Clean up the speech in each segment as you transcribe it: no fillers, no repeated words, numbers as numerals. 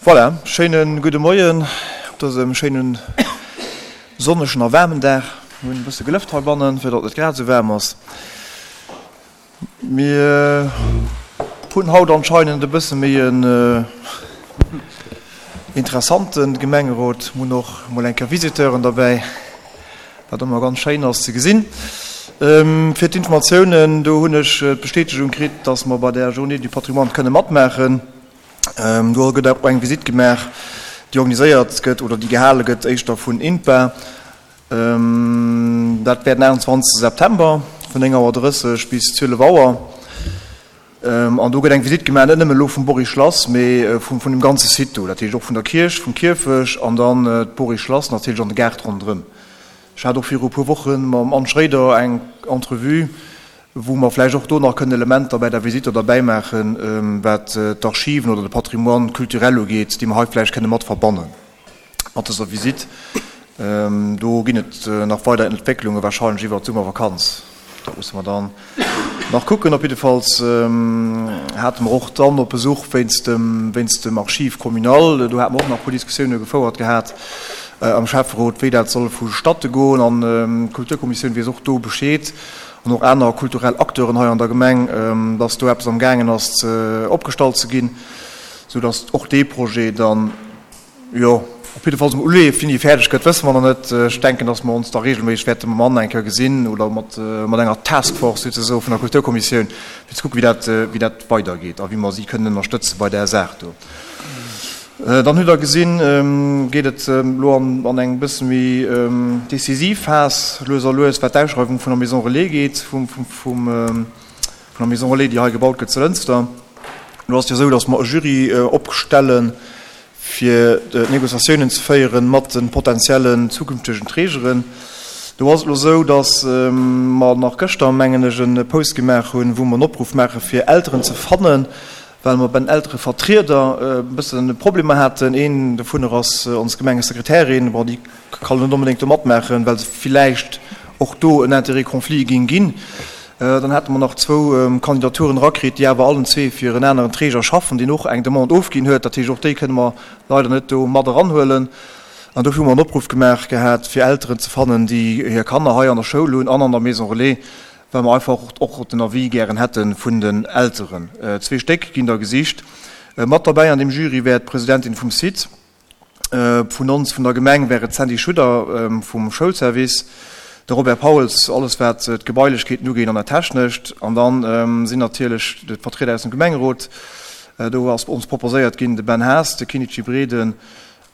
Voilà, schéine gudde Moien op dësem schéinen sonnegen a waarmen Dag. Mir hunn e bësse gelëft heibannen, fir datt et net grad esou waarm ass. Mir hunn haut anscheinend e bësse méi en interessante Gemengerot. Mir hunn och mol eng Kéier Visiteuren derbäi, wat ëmmer ganz schéin ass ze gesinn. Fir d'Informatiounen, do hunn ech d'Bestätegung kritt, datt mer bei der Journée du Patrimoine kënne matmaachen. Do gëtt och eng Visitt gemaach, déi organiséiert gëtt oder déi gehale gëtt éischter vun INPA. Dat wär den 28 September vun 9 Auer 30 bis 12 Auer. An do gëtt eng Visitt gemaach, net nëmmen elo vum Bory-Schlass, mee vun dem ganze Site do, dat heescht och vun der Kierch, vum Kierfech an dann d'Bory-Schlass natierlech an de Gaart ronderëm. Ech hat och viru e puer Woche mam Anne Schréider eng Entrevue, wou mer vläicht och do nach kënnen Elementer bäi der Visite derbäi maachen, wat d'Archiven oder de Patrimoine culturel ugeet, déi mer hei vläicht kënne mat verbanne mat dëser Visite. Do ginn et nach weider Entwécklunge wahrscheinlech iwwert d'Summervakanz. Dat musse mer dann nach kucken. Op jiddefalls hate mer och dann op Besuch wéinst dem, wéinst dem Archiv communal, do hate mer och nach e puer Diskussioune gefouert gehat am Schäfferot, wéi dat soll vu statte goen. An d'Kulturkommissioun weess och do Bescheed an och aner kulturell Acteuren hei an der Gemeng, dass do eppes am gaangen ass ze opgestallt ze ginn, soudass och dee Projet dann, Jo, op jiddefalls emol uleef. Wéini e fäerdeg gëtt, wësse mer nach net. Ech denken, datt mer ons da regelméisseg wäerte mam Anne eng Kéier gesinn oder mat enger Taskforce souzesoe vun der Kulturkommissioun, fir ze kucken, wéi dat, wéi dat weidergeet a wéi mer si kënnen ënnerstëtze bei där Saach do. Dann hutt Der gesinn, geet et elo an eng bësse méi decisiv Phas lues a lues, wat d'Ausschreiwung vun der Maison Relais geet, vum, vum, vun der Maison Relais, déi hei gebaut gëtt zu Lënster. Elo ass et jo esou, datt mer e Jury opstellen, fir Négociatiounen ze féieren mat de potentiellen zukünftegen Trägeren. Do ass et elo esou, datt mer nach gëschter, mengen ech, e Post gemaach hunn, wou mer en Opruff maache fir Elteren ze fannen, well mer bei den Elterevertrieder e bësse Problemer haten. Een dovunner ass ons Gemengesekretärin. Bon, déi kann net onbedéngt do matmaachen, well se villäicht och do en Intérêt conflit géing ginn. Dann hate mer nach zwou Kandidaturen erakritt, déi awer allen zwee fir en aneren Träger schaffen, deen och eng Demande ofginn huet. Dat heescht, och déi kënne mer leider net do mat eranhuelen. An dofir hu mer en Opruff gemaach gehat, fir Elteren ze fannen, déi hir Kanner hei an der Schoul hunn an an der Maison Relais, well mer einfach och den Avis gären hätte vun den Elteren. Zwee Stéck ginn der gesicht. Mat derbäi an deem Jury wär d'Presidentin vum Site. Vun ons, vun der Gemeng, wär et d'Sandy Schudder vum Schoulservice, de Robert Pauls, alles wat d'Gebailechkeeten ugeet an dat Technescht, an dann sinn natierlech d'Vertrieder aus dem Gemengerot. Do ass ons proposéiert ginn de Ben Haas, de Kinichi Breden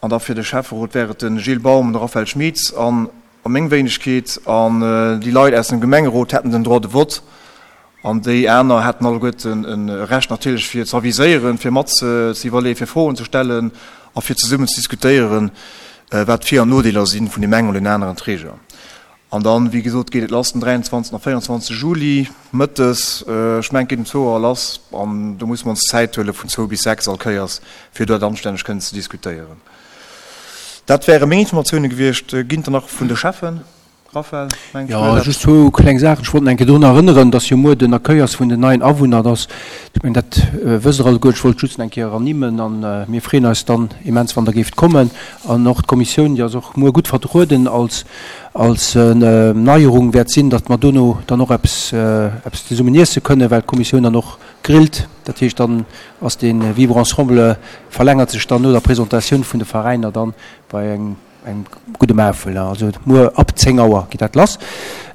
an da fir de Schäfferot wär et de Gilles Baum, de Raphaël Schmitz an meng Wéinegkeet. An déi Leit aus dem Gemengerot hätten den Droit de vote. An déi aner hätten alleguerten e Recht natierlech fir ze aviséieren, fir mat ze iwwerleeën, fir Froen ze stellen a fir zesummen ze diskutéieren, wat d'Vir an Nodeeler si vun deem engen oder deem aneren Träger. An dann, wéi gesot, geet et lass den 23. a 24. Juli mëttes, ech mengen et geet um zwou Auer lass, an do musse mer ons Zäit huele vun zwou bis 6 all Kéiers, fir dat anstänneg kënnen ze diskutéieren. Dat wäre meng Informatioune gewiescht. Ginn et der nach vun de Cheffen? Raphael, mengt Jo, just zwou kleng Saachen. Ech wollt nach eng Kéier drun erënneren, dass jo muer den Accueil ass vun den neien Awunner. Dass, ech mengen, dat wësst Der alleguer. Ech wollt just nach eng Kéier ernimmen. A mir freeën eis dann immens, wann Der géift kommen. An och d'Kommissioun, déi ass och muer gutt vertrueden. Als, als Neierung wäert sinn, datt mer dono dann och eppes, eppes zesummen iesse kënnen, well d'Kommissioun dann och grillt. Dat heescht, dann ass dee Vivre ensemble verlängert sech dann no der Presentatioun vun de Veräiner dann bei engem, Engem gudde Maufel, also muer ab 10 Auer geet dat lass.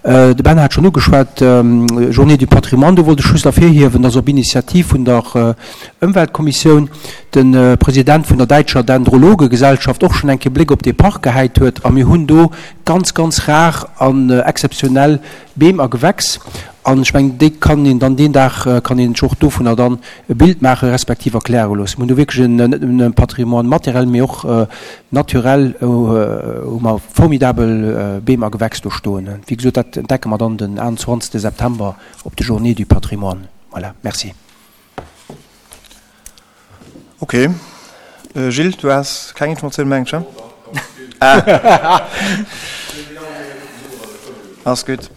De Ben hat schonn ugeschwat, Journée du Patrimoine, do wollt ech just ervirhiewen, dass op Initiativ vun der Ëmweltkommissioun de President vun der däitscher Dendrologegesellschaft och schonn eng Kéier Bléck op dee Park gehäit huet a mir hunn do ganz, ganz rar an exzeptionell Beem a Gewächs an ech mengen, déi kann een dann deen Dag, kann een sech och dovunner dann e Bild maache respektiv erkläre loossen. Mir hunn do wierklech en, net nëmmen e Patrimoine matériel, mee och naturel hu mer formidabel Beem a Gewächs do stoen. Wéi gesot, dat entdecke mer dann den 21. September op de Journées du Patrimoine. Voilà, merci. Ok. Gilles, du has keng Informatioun, mengen ech, he? Ah. Ass gutt.